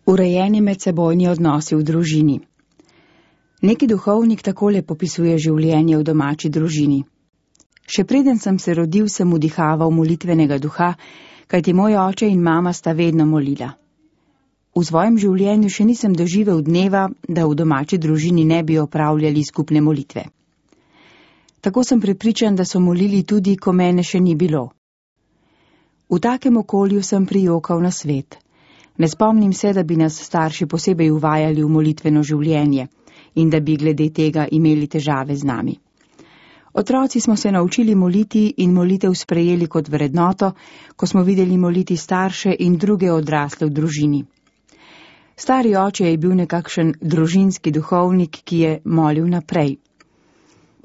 Urejeni medsebojni odnosi v družini. Neki duhovnik takole popisuje življenje v domači družini. Še preden sem se rodil, sem vdihaval molitvenega duha, kajti moj oče in mama sta vedno molila. V svojem življenju še nisem doživel dneva, da v domači družini ne bi opravljali skupne molitve. Tako sem prepričan, da so molili tudi, ko mene še ni bilo. V takem okolju sem prijokal na svet. Ne spomnim se, da bi nas starši posebej uvajali v molitveno življenje in da bi glede tega imeli težave z nami. Otroci smo se naučili moliti in molitev sprejeli kot vrednoto, ko smo videli moliti starše in druge odrasle v družini. Stari oče je bil nekakšen družinski duhovnik, ki je molil naprej.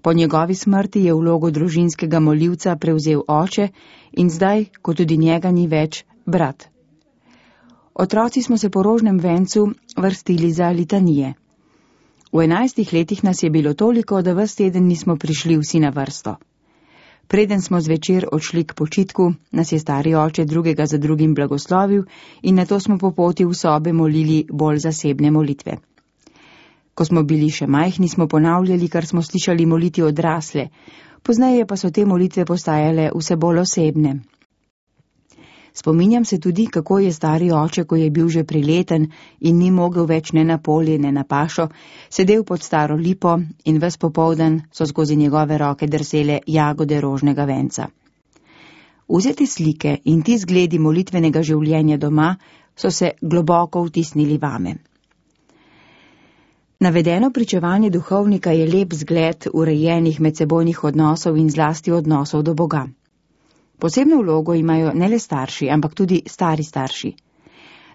Po njegovi smrti je vlogo družinskega molivca prevzel oče in zdaj, ko tudi njega ni več, brat. Otroci smo se po rožnem vencu vrstili za litanije. V 11 letih nas je bilo toliko, da ves teden nismo prišli vsi na vrsto. Preden smo zvečer odšli k počitku, nas je stari oče drugega za drugim blagoslovil in nato smo po poti v sobe molili bolj zasebne molitve. Ko smo bili še majhni, smo ponavljali, kar smo slišali moliti odrasle, pozneje pa so te molitve postajale vse bolj osebne. Spominjam se tudi, kako je stari oče, ko je bil že prileten in ni mogel več ne na polje, ne na pašo, sedel pod staro lipo in ves popoldan so skozi njegove roke drsele jagode rožnega venca. Vzete slike in ti zgledi molitvenega življenja doma so se globoko vtisnili vame. Navedeno pričevanje duhovnika je lep zgled urejenih medsebojnih odnosov in zlasti odnosov do Boga. Posebno vlogo imajo ne le starši, ampak tudi stari starši.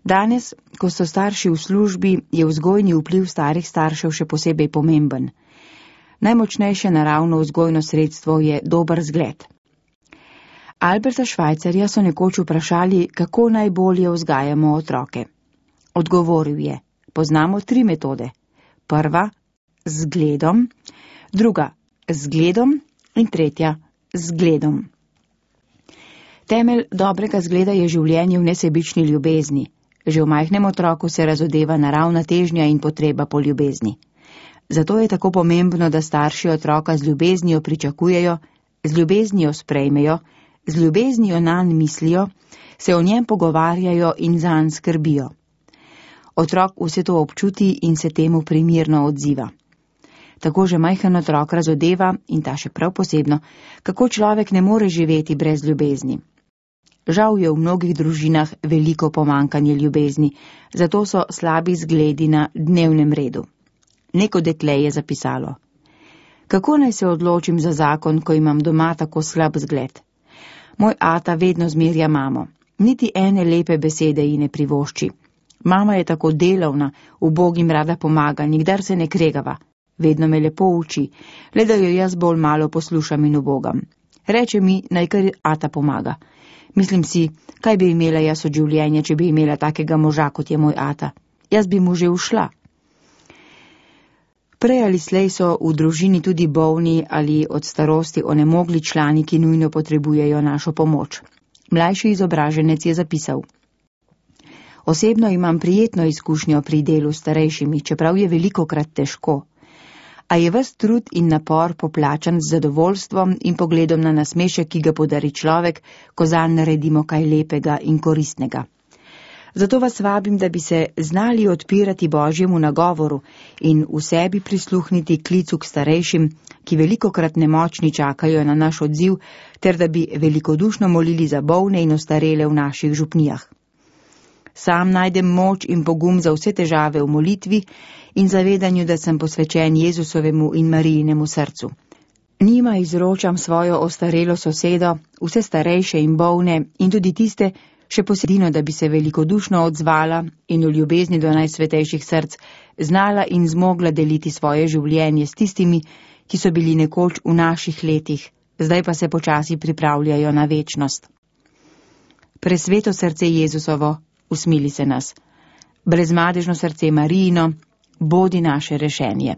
Danes, ko so starši v službi, je vzgojni vpliv starih staršev še posebej pomemben. Najmočnejše naravno vzgojno sredstvo je dober zgled. Alberta Schweitzerja so nekoč vprašali, kako najbolje vzgajamo otroke. Odgovoril je: poznamo 3 metode. Prva, z zgledom, druga, z zgledom in tretja, z zgledom. Temelj dobrega zgleda je življenje v nesebični ljubezni. Že v majhnem otroku se razodeva naravna težnja in potreba po ljubezni. Zato je tako pomembno, da starši otroka z ljubeznijo pričakujejo, z ljubeznijo sprejmejo, z ljubeznijo nanj mislijo, se o njem pogovarjajo in zanj skrbijo. Otrok vse to občuti in se temu primirno odziva. Tako že majhen otrok razodeva, in ta še prav posebno, kako človek ne more živeti brez ljubezni. Žal je v mnogih družinah veliko pomankanje ljubezni, zato so slabi zgledi na dnevnem redu. Neko dekle je zapisalo: kako naj se odločim za zakon, ko imam doma tako slab zgled? Moj ata vedno zmerja mamo, niti ene lepe besede ji ne privošči. Mama je tako delavna, ubogim rada pomaga, nikdar se ne kregava. Vedno me lepo uči, le da jo jaz bolj malo poslušam in ubogam. Reče mi, naj kar ata pomaga. Mislim si, kaj bi imela jaz od življenja, če bi imela takega moža, kot je moj ata. Jaz bi mu že ušla. Prej ali slej so v družini tudi bolni ali od starosti onemogli člani, ki nujno potrebujejo našo pomoč. Mlajši izobraženec je zapisal: osebno imam prijetno izkušnjo pri delu s starejšimi, čeprav je velikokrat težko. A je ves trud in napor poplačan z zadovoljstvom in pogledom na nasmešek, ki ga podari človek, ko zanj naredimo kaj lepega in koristnega. Zato vas vabim, da bi se znali odpirati Božjemu nagovoru in v sebi prisluhniti klicu k starejšim, ki velikokrat nemočni čakajo na naš odziv, ter da bi velikodušno molili za bolne in ostarele v naših župnijah. Sam najdem moč in pogum za vse težave v molitvi in zavedanju, da sem posvečen Jezusovemu in Marijinemu srcu. Njima izročam svojo ostarelo sosedo, vse starejše in bolne in tudi tiste, še posebno, da bi se velikodušno odzvala in v ljubezni do najsvetejših src znala in zmogla deliti svoje življenje s tistimi, ki so bili nekoč v naših letih, zdaj pa se počasi pripravljajo na večnost. Presveto srce Jezusovo, usmili se nas. Brezmadežno srce Marijino, bodi naše rešenje.